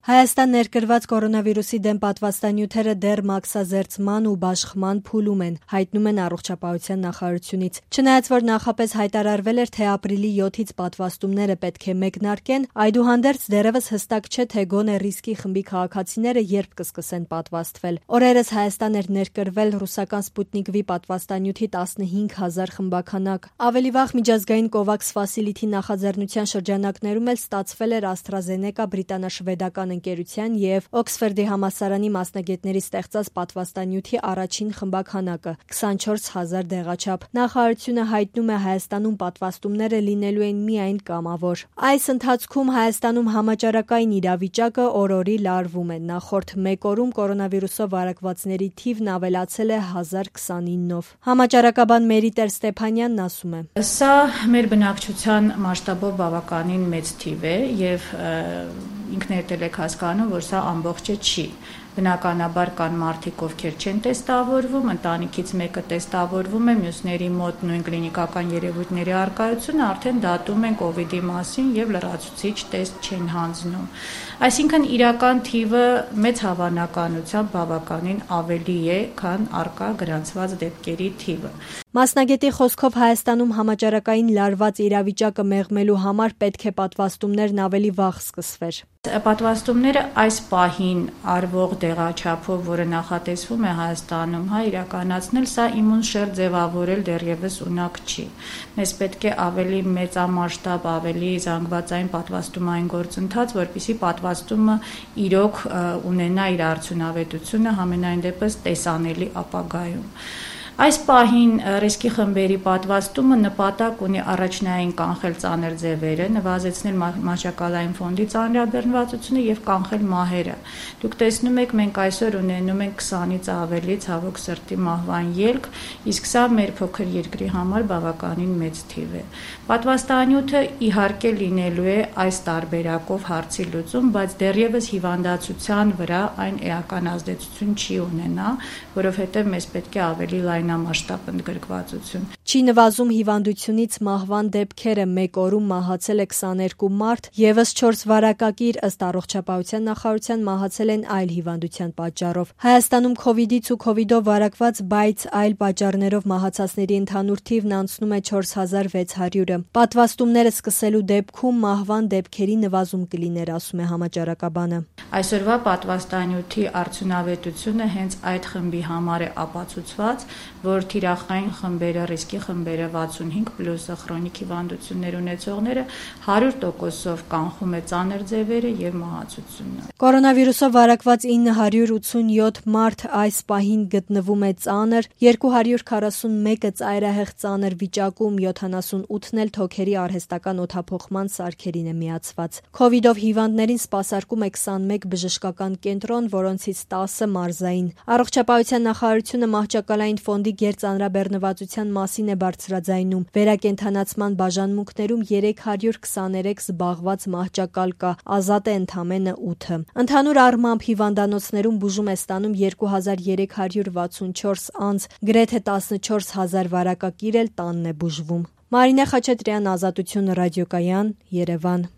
Հայաստան ներկրված կորոնավիրուսի դեմ պատվաստանյութերը դեռ մաքսազերծման ու բաշխման փուլում են, հայտնում են Առողջապահության նախարարությունից։ Չնայած որ նախապես հայտարարվել էր, թե ապրիլի 7-ից պատվաստումները պետք է մեկնարկեն, այդուհանդերձ դեռևս հստակ չէ, թե գոնե ռիսկի խմբի քաղաքացիները երբ կսկսեն պատվաստվել։ Օրերս Հայաստան էր ներկրվել ռուսական Սպուտնիկ V պատվաստանյութի 15,000 խմբաքանակ։ Ավելի վաղ միջազգային COVAX Facility նախաձեռնության շրջանակներում էլ ստացվել էր AstraZeneca բրիտանա-շվեդական ընկերության և Օքսֆորդի համալսարանի մասնագետների ստեղծած պատվաստանյութի առաջին խմբաքանակը 24,000 դեղաչափ։ Նախարարությունը հայտնում է, Հայաստանում պատվաստումները լինելու են միայն կամավոր։ Այս ընթացքում Հայաստանում համաճարակային իրավիճակը օր-օրի լարվում է։ Նախորդ մեկ օրում կորոնավիրուսով վարակվածների թիվն ավելացել է 1029-ով։ Համաճարակաբան Մերիտեր Ստեփանյանն ասում է. Սա մեր բնակչության մասշտաբով բավականին մեծ թիվ է և ինքներդ եք հասկանում, որ սա ամբողջը չի։ Բնականաբար կան մարդիկ, ովքեր չեն տեստավորվում, ընտանիքից մեկը տեստավորվում է, մյուսների մոտ նույն կլինիկական երևույթների առկայությունը արդեն դատում են COVID-ի մասին և լրացուցիչ տեստ չեն հանձնում։ Այսինքն իրական թիվը մեծ հավանականությամբ բավականին ավելի է, քան առկա գրանցված դեպքերի թիվը։ Մասնագետի խոսքով Հայաստանում համաճարակային լարված իրավիճակը մեղմելու համար պետք է պատվաստումներն ավելի վաղ սկսվեր։ Պատվաստումները այս պահին արվող դեղաչափով, որը նախատեսվում է Հայաստանում, իրականացնել, սա իմունշերտ ձևավորել դեռևս ունակ չի։ Մեզ պետք է ավելի մեծամասշտաբ, ավելի զանգվածային պատվաստումային գործընթաց, որպեսզի պատվաստումը իրոք ունենա իր արդյունավետությունը համենայն դեպս տեսանելի ապագայում։ Այս պահին ռիսկի խմբերի պատվաստումը նպատակ ունի առաջնային կանխել ծանր ձևերը, նվազեցնել մահճակալային ֆոնդի ծանրաբեռնվածությունը և կանխել մահերը։ Դուք տեսնում եք, մենք այսօր ունենում ենք 20-ից ավելի ցավոք սրտի մահվան ելք, իսկ սա մեր փոքր երկրի համար բավականին մեծ թիվ է։ Պատվաստանյութը իհարկե լինելու է այս տարբերակով հարցի լուծում, բայց դեռևս հիվանդացության վրա այն էական ազդեցություն չի ունենա, որովհետև մեզ պետք է ավելի լայնամասշտաբ ընդգրկվածություն։ Չի նվազում հիվանդությունից մահվան դեպքերը, մեկ օրում մահացել է 22 մարդ, եւս 4 վարակակիր, ըստ Առողջապահության նախարարության, մահացել են այլ հիվանդության պատճառով։ Հայաստանում COVID-ից ու COVID-ով վարակված, բայց այլ պատճառներով մահացածների ընդհանուր թիվն անցնում է 4600-ը։ Պատվաստումները սկսելու դեպքում մահվան դեպքերի նվազում կլիներ, ասում է համաճարակաբանը։ Այսօրվա պատվաստանյութի արդյունավետությունը հենց այդ խմբի համար է ապացուցված, որ թիրախային խմբերը, ռիսկի խմբերը 65+ քրոնիկ հիվանդություններ ունեցողները 100%-ով կանխում է ծանր ձևերը և մահացությունը։ Կորոնավիրուսով վարակված 987 մարդ այս պահին գտնվում է ծանր, 241-ը ծայրահեղ ծանր վիճակում, 78-ն էլ թոքերի արհեստական օդափոխման սարքերին է միացված։ COVID-ով հիվանդներին սպասարկում է 21 բժշկական կենտրոն, որոնցից 10-ը մարզային։ Առողջապահության նախարարությունը մահճակալային ֆոնդի գերծանրաբեռնվածության մասին է բարձրաձայնում։ Վերակենդանացման բաժանմունքներում 323 զբաղված մահճակալ կա, ազատ է ընդամենը 8-ը։ Ընդհանուր առմամբ հիվանդանոցներում բուժում է ստանում 2364 անձ, գրեթե 14000 վարակակիր էլ տանն է բուժվում։ Մարինե Խաչատրյան, Ազատություն ռադիոկայան, Երևան։